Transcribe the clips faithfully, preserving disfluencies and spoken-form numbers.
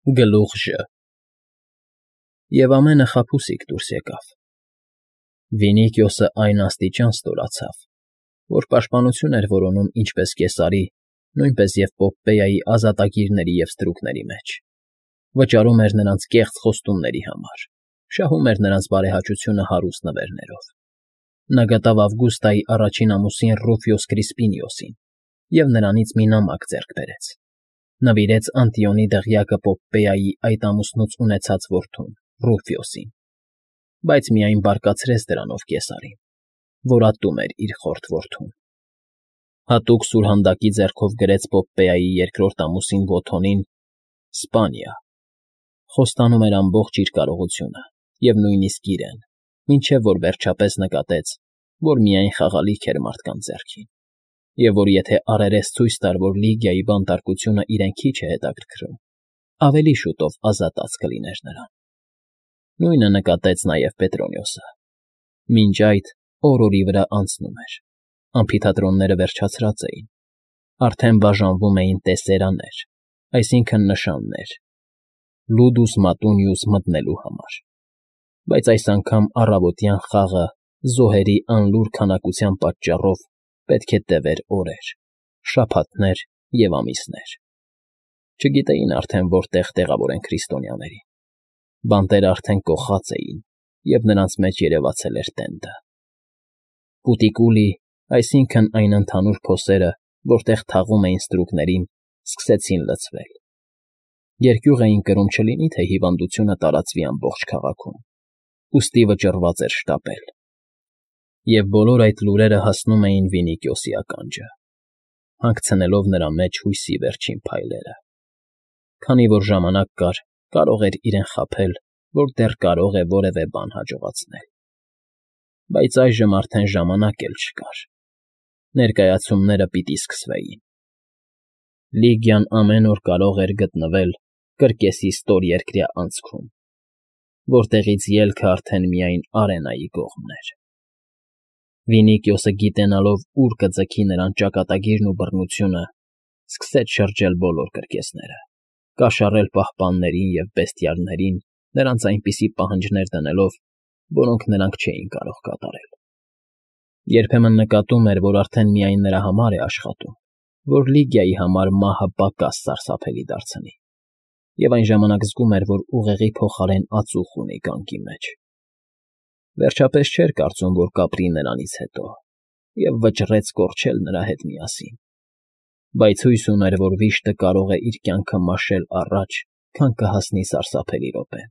Գլուխ Ժ Եվ ամենը խաբուսիկ դուրս եկավ. Վինիքիոսը այն աստիճան ստորացավ, որ պաշտպանություն էր որոնում ինչպես Կեսարի, նույնպես և Պոմպեայի ազատագիրների և ստրուկների մեջ, վճարում էր նրանց կեղծ խոստումների համար, շահում էր նրանց բարեհաճությունը հարուստ նվերներով. նա գտավ Ավգուստայի առաջին ամուսին Ռուֆիոս Կրիսպինիոսին և նրանից մի նամակ ձեռք բերեց, նվիրեց Անտիոնի դղյակը Պոմպեայի այդ ամուսնուց ունեցած որդուն Ռուֆիոսին, բայց միայն բարկացրեց դրանով Կեսարին, որ ատում էր իր խորթ որդուն. հատուկ սուրհանդակի ձեռքով գրեց Պոմպեայի երկրորդ ամուսին Վոթոնին Սպանիա, խոստանում էր ամբողջ իր կարողությունը և նույնիսկ իրեն, մինչև որ վերջապես նկատեց, որ միայն խաղալիք էր մարդկանց ձեռքին, և որ եթե առերես ցույց տար, որ Լիգիայի բանտարկությունը իրեն քիչ է հետաքրքրում, ավելի շուտով ազատած կլիներ նրան. Նույնը նկատեց նաև Պետրոնիոսը. մինչ այդ օր֊օրի վրա անցնում էր, ամֆիթատրոնները վերջացրած էին, արդեն բաժանվում էին տեսերաներ, այսինքն՝ նշաններ, Լուդուս Մատունիուս մտնելու համար, բայց այս անգամ առավոտյան խաղը զոհերի անլուռ քանակության պատճառով պետք է տևեր օրեր, շաբաթներ և ամիսներ. չգիտեին արդեն որտեղ տեղավորեն քրիստոնյաներին, բանտերը արդեն կոխած էին, և նրանց մեջ երևացել էր տենդը. Պուտիկուլի, այսինքն՝ այն ընդհանուր փոսերը, որտեղ թաղում էին ստրուկներին, սկսեցին լցվել. երկյուղ էին կրում չլինի թե հիվանդությունը տարածվի ամբողջ քաղաքում, ուստի վճռված էր շտապել. և բոլոր այդ լուրերը հասնում էին Վինիքիոսի ականջը, հանգցնելով նրա մեջ հույսի վերջին փայլերը. քանի որ ժամանակ կար, կարող էր իրեն խաբել, որ դեռ կարող է որևէ բան հաջողացնել. բայց այժմ արդեն ժամանակ էլ չկար, ներկայացումները պիտի սկսվեին. Լիգիան ամեն օր կարող էր գտնվել կրկեսի ստորերկրյա անցքում, որտեղից ելքը արդեն միայն Արենայի կողմն էր. Վինիքիոսը, գիտենալով ուր կձգի նրան ճակատագիրն ու բռնությունը, սկսեց շրջել բոլոր կրկեսները, կաշառել պահպաններին և բեստիարներին, նրանց այնպիսի պահանջներ դնելով, որոնք նրանք չէին կարող կատարել. երբեմն նկատում էր, որ արդեն միայն նրա համար է աշխատում, որ Լիգիայի համար մահը պակաս սարսափելի դարձնի, և այն ժամանակ զգում էր, որ ուղեղի փոխարեն ածուխ ունի գանգի մեջ. վերջապես չէր կարծում, որ կապրի նրանից հետո, և վճռեց կորչել նրա հետ միասին, բայց հույս ուներ, որ վիշտը կարող է իր կյանքը մաշել առաջ, քան կհասնի սարսափելի րոպեն.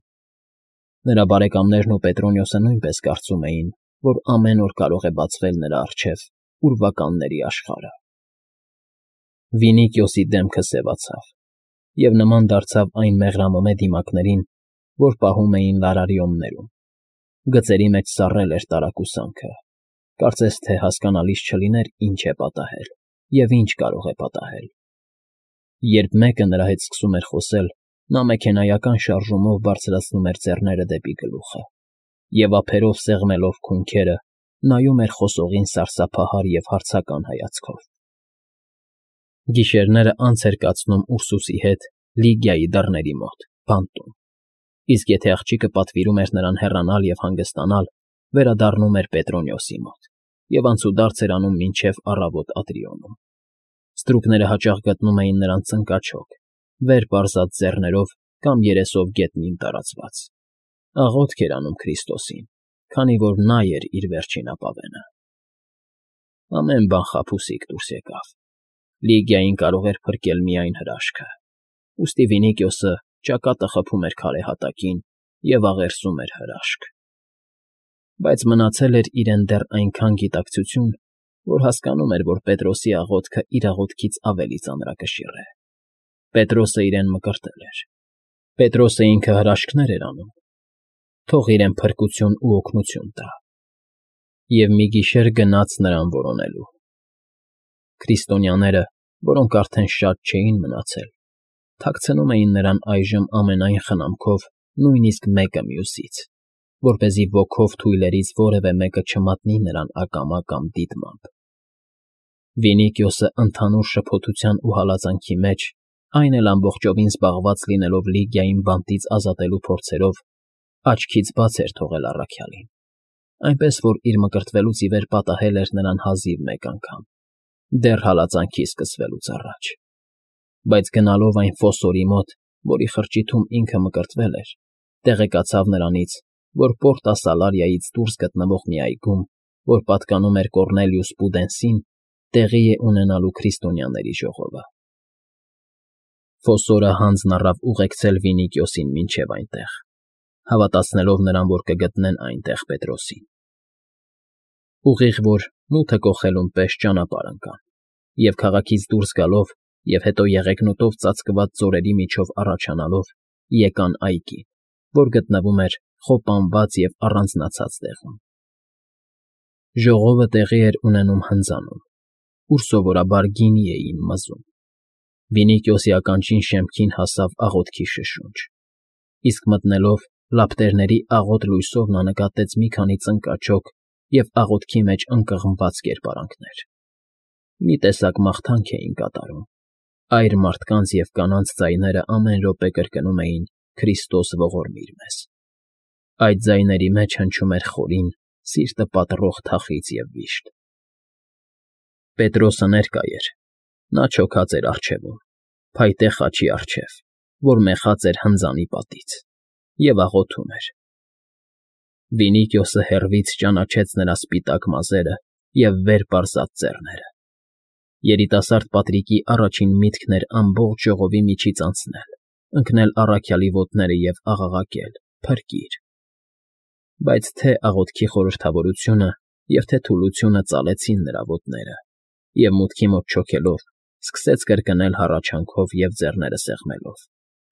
նրա բարեկամներն ու Պետրոնիոսը նույնպես կարծում էին, որ ամեն օր կարող է բացվել նրա առջև ուրվականների աշխարհը. Վինիքիոսի դեմքը սևացավ և նման դարձավ այն մեղրամոմե դիմակներին, որ պահում էին լարարիոններում, գծերի մեջ սառել էր տարակուսանքը, կարծես թե հասկանալից չլիներ ինչ է պատահել և ինչ կարող է պատահել. երբ մեկը նրա հետ սկսում էր խոսել, նա մեքենայական շարժումով բարձրացնում էր ձեռները դեպի գլուխը և ափերով սեղմելով քունքերը, նայում էր խոսողին սարսափահար և հարցական հայացքով. Գիշերները անց էր կացնում Ուրսուսի հետ Լիգիայի դռների մոտ, բանտում, իսկ եթե աղջիկը պատվիրում էր նրան հեռանալ և հանգստանալ, վերադառնում էր Պետրոնիոսի մոտ և անցուդարձ էր անում մինչև առավոտ Ատրիոնում. ստրուկները հաճախ գտնում էին նրան ծնկաչոք, վեր պարզած ձեռներով կամ երեսով գետնին տարածված, աղոթք էր անում Քրիստոսին, քանի որ նա էր իր վերջին ապավենը. ամեն բան խաբուսիկ դուրս եկավ, Լիգիային կարող էր փրկել միայն հրաշքը, ուստի Վինիքիոսը ճակատը խփում էր քարե հատակին և աղերսում էր հրաշք. բայց մնացել էր իրեն դեռ այնքան գիտակցություն, որ հասկանում էր, որ Պետրոսի աղոթքը իր աղոթքից ավելի ծանրակշիռ է. Պետրոսը իրեն մկրտել էր, Պետրոսը ինքը հրաշքներ էր անում, թող իրեն փրկություն ու օգնություն տա, և մի գիշեր գնաց նրան որոնելու. քրիստոնյաները, որոնք արդեն շատ չէին մնացել, թաքցնում էին նրան այժմ ամենայն խնամքով նույնիսկ մեկը մյուսից, որպեսզի ոգով թույլերից որևէ մեկը չմատնի նրան ակամա կամ դիտմամբ. Վինիքիոսը ընդհանուր շփոթության ու հալածանքի մեջ Այն էլ ամբողջովին զբաղված լինելով Լիգիային բանտից ազատելու փորձերով, աչքից բաց էր թողել առաքյալին, այնպես որ իր մկրտվելուց ի վեր պատահել էր նրան հազիվ մեկ անգամ, դեռ հալածանքի սկսվելուց առաջ, բայց գնալով այն ֆոսորի մոտ, որի խրճիթում ինքը մկրտվել էր, տեղեկացավ նրանից, որ Պորտա Սալարիայից դուրս գտնվող մի այգում, որ պատկանում էր Կոռնելիուս Պուդենսին, տեղի է ունենալու քրիստոնյաների ժողովը։ Ֆոսորը հանձն առավ ուղեկցել Վինիկիոսին մինչև այնտեղ, հավատացնելով նրան, որ կգտնեն այնտեղ Պետրոսին։ Ուղիղ որ մութը կոխելուն պես ճանապարհ ընկան, և քաղաքից դուրս գալով և հետո եղեգնուտով ծածկված ձորերի միջով առաջանալով եկան այգին, որ գտնվում էր խոպանված և առանձնացած տեղում։ Ժողովը տեղի էր ունենում հնձանում, ուր սովորաբար գինի էին մզում։ Վինիկիոսի ականջին շեմքին հասավ աղոթքի շշունջ, իսկ մտնելով լապտերների աղոտ լույսով նա նկատեց մի քանի ծնկաչոք և աղոթքի մեջ ընկղմված կերպարանքներ։ Մի տեսակ մաղթանք էին կատարում, այր մարդկանց և կանանց ձայները ամեն րոպե կրկնում էին «Քրիստոս ողորմիր մեզ»։ Այդ ձայների մեջ հնչում էր խորին, սիրտը պատռող թախիծ և վիշտ։ Պետրոսը ներկա էր, նա չոքած էր առջևում, փայտե խաչի առջև, որ մեխած էր հնձանի պատից, և աղոթում էր։ Վինիկիոսը հեռվից ճանաչեց նրա սպիտակ մազերը և վեր պարզած ծեռները։ Երիտասարդ Պատրիկի առաջին միտքն էր ամբողջ ժողովի միջից անցնել, ընկնել առաքյալի ոտները և աղաղակել. «Փրկիր»։ Բայց թե աղոթքի խորհրդավորությունը և թե թուլությունը ծալեցին նրա ոտները, և մուտքի մոտ չոքելով, սկսեց կրկնել հառաչանքով և ձեռները սեղմելով.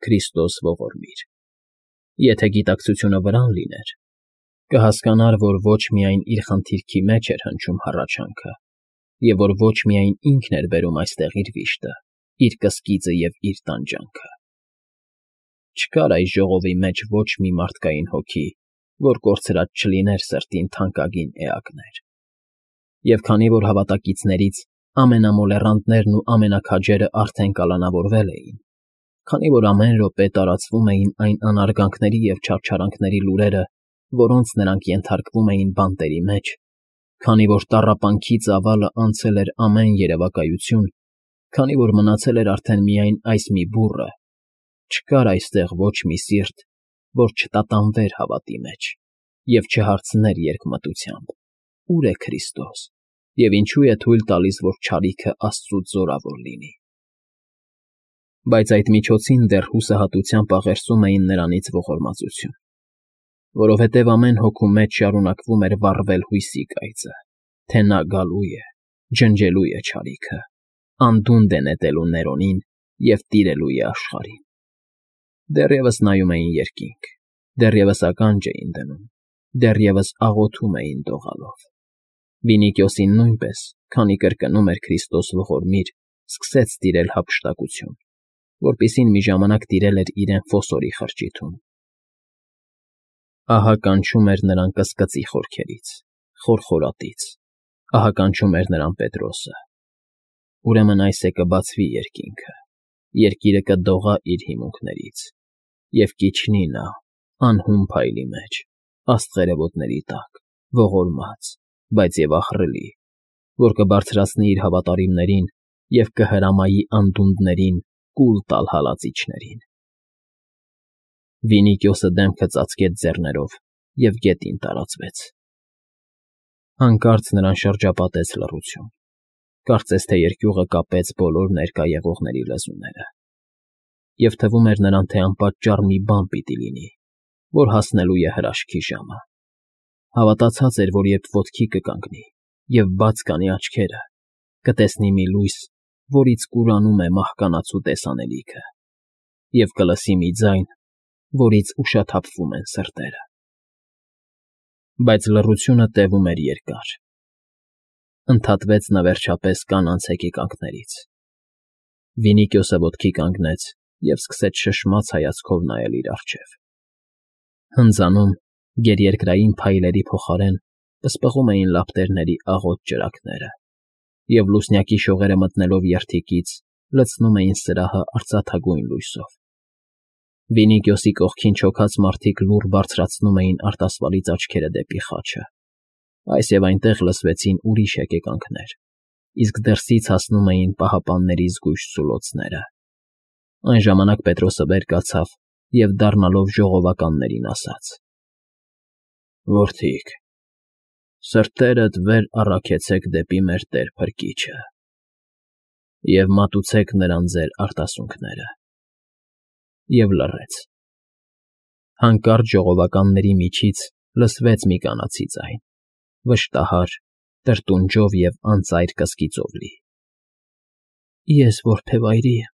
«Քրիստոս ողորմիր»։ Եթե գիտակցությունը վրան լիներ, կհասկանար, որ ոչ միայն իր խնդիրքի մեջ էր հնչում հառաչանքը, և որ ոչ միայն ինքն էր բերում այստեղ իր վիշտը, իր կսկիծը և իր տանջանքը։ Չկար այս ժողովի մեջ ոչ մի մարդկային հոգի, որ կորցրած չլիներ սրտին թանկագին էակներ։ Եվ քանի որ հավատակիցներից ամենամոլեռանդներն ու ամենաքաջերը արդեն կալանավորվել էին, քանի որ ամեն րոպե տարածվում էին այն անարգանքների և չարչարանքների լուրերը, որոնց նրանք ենթարկվում էին բանտերի մեջ, քանի որ տառապանքի ծավալը անցել էր ամեն երևակայություն, քանի որ մնացել էր արդեն միայն այս մի բուռը, չկար այստեղ ոչ մի սիրտ, որ չտատանվեր հավատի մեջ և չհարցներ երկմտությամբ. «Ո՞ւր է Քրիստոս, և ինչու է թույլ տալիս, որ չարիքը Աստծուց զորավոր լինի»։ Բայց այդ միջոցին դեռ հուսահատությամբ աղերսում էին նրանից ողորմածություն, որովհետև ամեն հոգու մեջ շարունակվում էր վառվել հույսի կայծը, թե նա գալու է, ջնջելու է չարիքը, անդունդը է նետելու Ներոնին և տիրելու է աշխարհին։ Դեռևս նայում էին երկինք, դեռևս ականջ էին դնում, դեռևս աղոթում էին դողալով։ Վինիկիոսին նույնպես, քանի կրկնում էր «Քրիստոս ողորմիր», սկսեց տիրել հափշտակություն, որպիսին մի ժամանակ տիրել էր իրեն ֆոսորի խրճիթում։ Ահա կանչում էր նրան կսկծի խորքերից, խորխորատից, ահա կանչում էր նրան Պետրոսը։ Ուրեմն այս է կբացվի երկինքը, երկիրը կդողա իր հիմունքներից, և կիջնի նա, անհուն փայլի մեջ, աստղերը ոտների տակ, ողորմած, բայց և ահռելի, որ կբարձրացնի իր հավատարիմներին և կհրամայի անդունդներին կուլ տալ հալածիչներին։ Վինիկիոսը դեմքը ծածկեց ձեռներով և գետին տարածվեց։ Հանկարծ նրան շրջապատեց լռություն, կարծես թե երկյուղը կապեց բոլոր ներկա եղողների լեզուները, և թվում էր նրան, թե անպատճառ մի բան պիտի լինի, որ հասնելու է հրաշքի ժամը։ Հավատացած էր, որ երբ ոտքի կկանգնի և բաց կանի աչքերը, կտեսնի մի լույս, որից կուրանում է մահկանացու տեսանելիքը, և կլսի մի ձայն, որից ուշաթափվում են սրտերը։ Բայց լռությունը տևում էր երկար։ Ընդհատվեց նա վերջապես կանանց հեկեկանքներից։ Վինիկիոսը ոտքի կանգնեց և սկսեց շշմած հայացքով նայել իր առջև։ Հնձանում, գերերկրային փայլերի փոխարեն պսպղում էին լապտերների աղոտ ճրագները, և լուսնյակի շողերը մտնելով երդիկից լցնում էին սրահը արծաթագույն լույսով։ Վինիգյոսի կողքին չոքած մարդիկ լուռ բարձրացնում էին արտասվալից աչքերը դեպի խաչը։ Այս և այնտեղ լսվեցին ուրիշ եկեկանքներ, իսկ դրսից հասնում էին պահապանների զգույշ սուլոցները։ Այն ժամանակ Պետրոսը վեր կացավ և, դառնալով ժողովականներին, ասաց. «Որդիք, սրտերդ վեր առաքեցեք դեպի մեր Տեր Փրկիչը և մատուցեք նրան ձեր արտասունքները»։ Եվ լռեց։ Հանկարծ ժողովականների միջից լսվեց մի կանացի ձայն, վշտահար, տրտունջով և անծայր կսկիծով լի. «Ես որբևայրի եմ,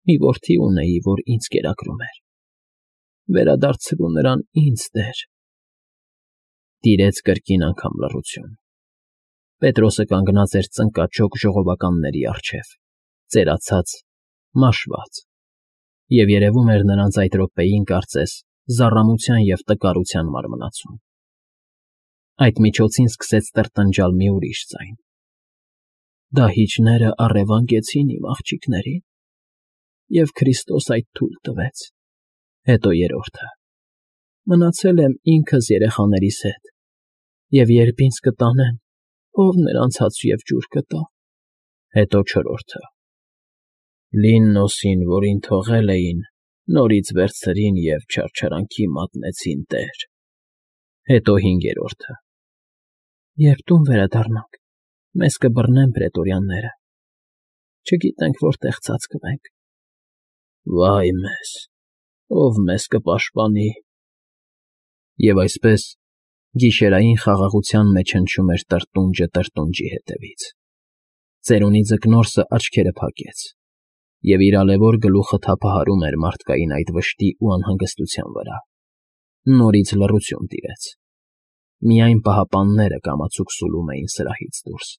մի որդի ունեի, որ ինձ կերակրում էր. վերադարձրու նրան ինձ, Տեր»։ Տիրեց կրկին անգամ լռություն։ Պետրոսը կանգնած էր ծնկաճոք ժողովականների առջև, ծերացած, մաշված, և երևում էր նրանց այդ րոպեին, կարծես, զառամության և տկարության մարմնացում։ Այդ միջոցին սկսեց տրտնջալ մի ուրիշ ձայն. «Դահիճները առևանգեցին իմ աղջիկներին, և Քրիստոս այդ թույլ տվեց»։ Հետո երրորդը. «Մնացել եմ ինքս երեխաներիս հետ, և երբ ինձ կտանեն, ո՞վ նրանց հաց և ջուր կտա»։ Հետո չորրորդը. «Լիննոսին, որին թողել էին, նորից վերցրին և չարչարանքի մատնեցին, Տեր»։ Հետո հինգերորդը. «Երբ տուն վերադառնանք, մեզ կբռնեն պրետորյանները, չգիտենք որտեղ ծածկվենք»։ «Վա՜յ մեզ, ո՞վ մեզ կպաշտպանի»։ Եվ այսպես, գիշերային խաղաղության մեջ հնչում էր տրտունջը տրտունջի հետևից։ Ծերունի Ձկնորսը աչքերը փակեց, և իր ալևոր գլուխը թափահարում էր մարդկային այդ վշտի ու անհանգստության վրա։ Նորից լռություն տիրեց։ Միայն պահապանները կամացուկ սուլում էին սրահից դուրս։